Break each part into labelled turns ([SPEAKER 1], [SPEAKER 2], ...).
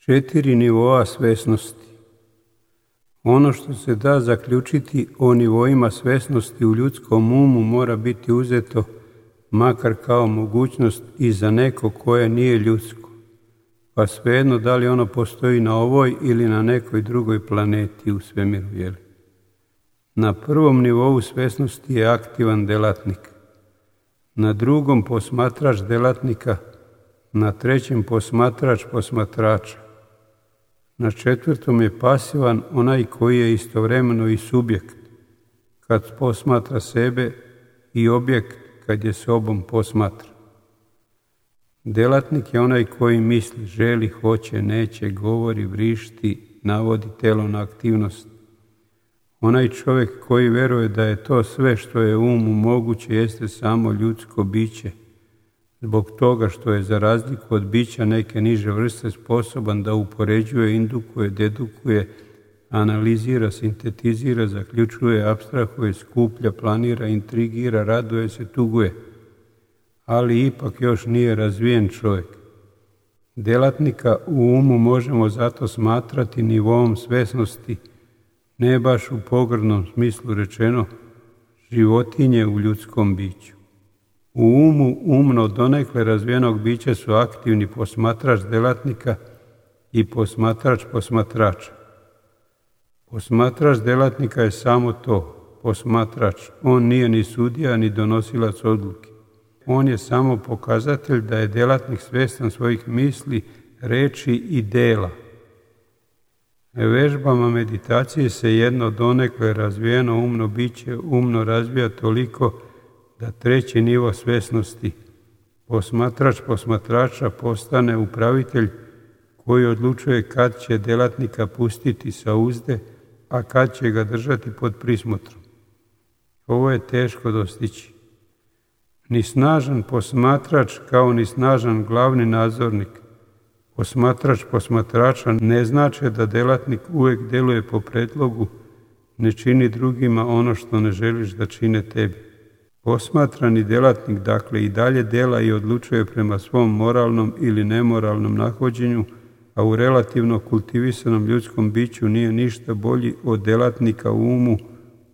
[SPEAKER 1] 4 nivoa svesnosti. Ono što se da zaključiti o nivoima svesnosti u ljudskom umu mora biti uzeto makar kao mogućnost i za neko koje nije ljudsko, pa svejedno da li ono postoji na ovoj ili na nekoj drugoj planeti u svemiru. Na prvom nivou svesnosti je aktivan delatnik, na drugom posmatrač delatnika, na trećem posmatrač posmatrača. Na četvrtom je pasivan onaj koji je istovremeno i subjekt, kad posmatra sebe, i objekt kad je sobom posmatra. Delatnik je onaj koji misli, želi, hoće, neće, govori, vrišti, navodi telo na aktivnost. Onaj čovjek koji veruje da je to sve što je umu moguće jeste samo ljudsko biće, zbog toga što je za razliku od bića neke niže vrste sposoban da upoređuje, indukuje, dedukuje, analizira, sintetizira, zaključuje, apstrahuje, skuplja, planira, intrigira, raduje se, tuguje, ali ipak još nije razvijen čovjek. Delatnika u umu možemo zato smatrati nivoom svesnosti, ne baš u pogrdnom smislu rečeno, životinje u ljudskom biću. U umu umno donekle razvijenog bića su aktivni posmatrač delatnika i posmatrač posmatrača. Posmatrač delatnika je samo to, posmatrač. On nije ni sudija, ni donosilac odluke. On je samo pokazatelj da je delatnik svjestan svojih misli, reči i dela. Vežbama meditacije se jedno donekle razvijeno umno biće umno razvija toliko da treći nivo svjesnosti, posmatrač posmatrača, postane upravitelj koji odlučuje kad će delatnika pustiti sa uzde, a kad će ga držati pod prismotrom. Ovo je teško dostići. Ni snažan posmatrač kao ni snažan glavni nadzornik, posmatrač posmatrača, ne znači da delatnik uvijek djeluje po predlogu, ne čini drugima ono što ne želiš da čine tebi. Posmatrani delatnik dakle i dalje dela i odlučuje prema svom moralnom ili nemoralnom nahođenju, a u relativno kultivisanom ljudskom biću nije ništa bolji od delatnika u umu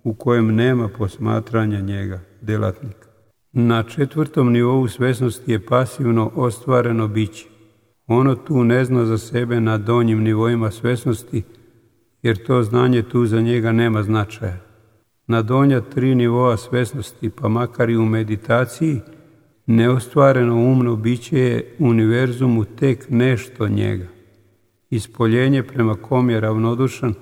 [SPEAKER 1] u kojem nema posmatranja njega, delatnika. Na četvrtom nivou svesnosti je pasivno ostvareno biće. Ono tu ne zna za sebe na donjim nivoima svesnosti, jer to znanje tu za njega nema značaja. Na donja 3 nivoa svesnosti, pa makar i u meditaciji, neostvareno umno biće je univerzumu tek nešto njega. Ispoljenje prema kom je ravnodušan,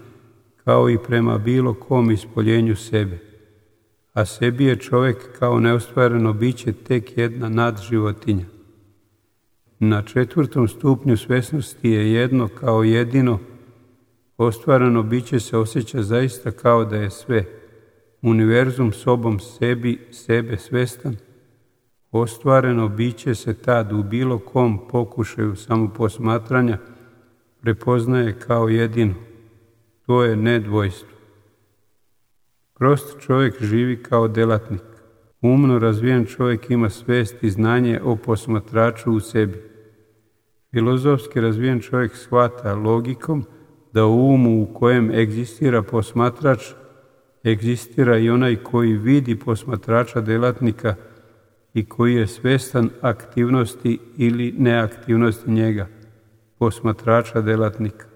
[SPEAKER 1] kao i prema bilo kom ispoljenju sebe. A sebi je čovjek kao neostvareno biće tek jedna nadživotinja. Na 4. stupnju svesnosti je jedno kao jedino. Ostvareno biće se osjeća zaista kao da je sve. Univerzum sobom sebe svestan. Ostvareno biće se tad u bilo kom pokušaju samoposmatranja prepoznaje kao jedino. To je nedvojstvo. Prost čovjek živi kao delatnik. Umno razvijen čovjek ima svest i znanje o posmatraču u sebi. Filozofski razvijen čovjek shvata logikom da u umu u kojem egzistira posmatrač, egzistira i onaj koji vidi posmatrača delatnika i koji je svestan aktivnosti ili neaktivnosti njega, posmatrača delatnika.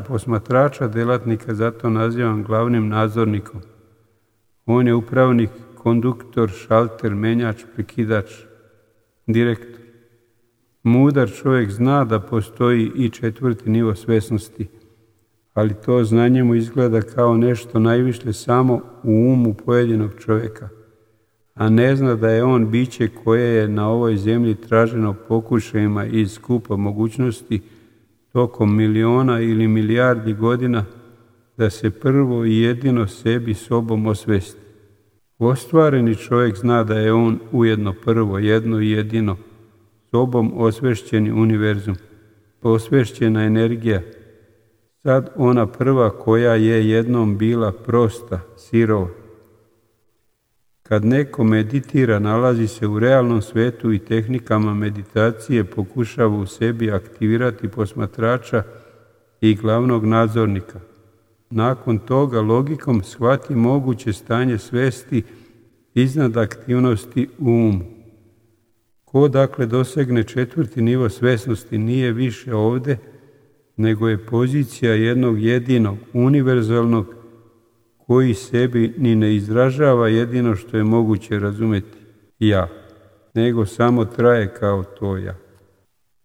[SPEAKER 1] Posmatrača delatnika zato nazivam glavnim nadzornikom. On je upravnik, konduktor, šalter, menjač, prekidač, direktor. Mudar čovjek zna da postoji i 4. nivo svesnosti, ali to znanje mu izgleda kao nešto najviše samo u umu pojedinog čovjeka, a ne zna da je on biće koje je na ovoj zemlji traženo pokušajima iz skupa mogućnosti tokom miliona ili milijardi godina da se prvo i jedino sebi sobom osvesti. Ostvareni čovjek zna da je on ujedno prvo, jedno i jedino, sobom osvešćeni univerzum, osvešćena energija, sad ona prva koja je jednom bila prosta, sirova. Kad neko meditira, nalazi se u realnom svetu i tehnikama meditacije pokušava u sebi aktivirati posmatrača i glavnog nadzornika. Nakon toga logikom shvati moguće stanje svesti iznad aktivnosti u umu. Ko dakle dosegne 4. nivo svesnosti nije više ovdje, nego je pozicija jednog jedinog, univerzalnog, koji sebi ni ne izražava jedino što je moguće razumjeti ja, nego samo traje kao to ja.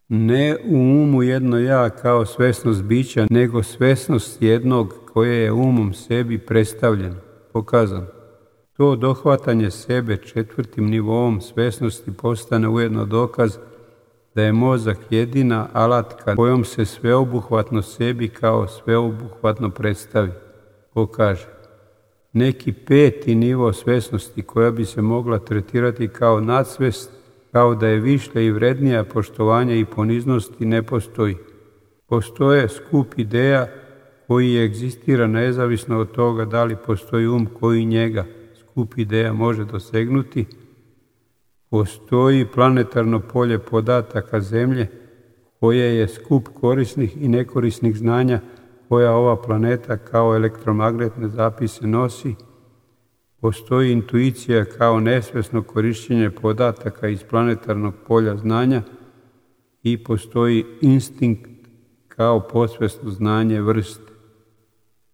[SPEAKER 1] Ne u umu jedno ja kao svesnost bića, nego svesnost jednog koje je umom sebi predstavljeno, pokazano. To dohvatanje sebe 4. nivoom svesnosti postane ujedno dokaz da je mozak jedina alatka kojom se sveobuhvatno sebi kao sveobuhvatno predstavi, pokaže. Neki 5. nivo svesnosti koja bi se mogla tretirati kao nadsvest, kao da je višlja i vrednija poštovanja i poniznosti, ne postoji. Postoje skup ideja koji egzistira nezavisno od toga da li postoji koji njega, skup ideja, može dosegnuti. Postoji planetarno polje podataka Zemlje koje je skup korisnih i nekorisnih znanja koja ova planeta kao elektromagnetne zapise nosi. Postoji intuicija kao nesvesno korištenje podataka iz planetarnog polja znanja i postoji instinkt kao podsvesno znanje vrste.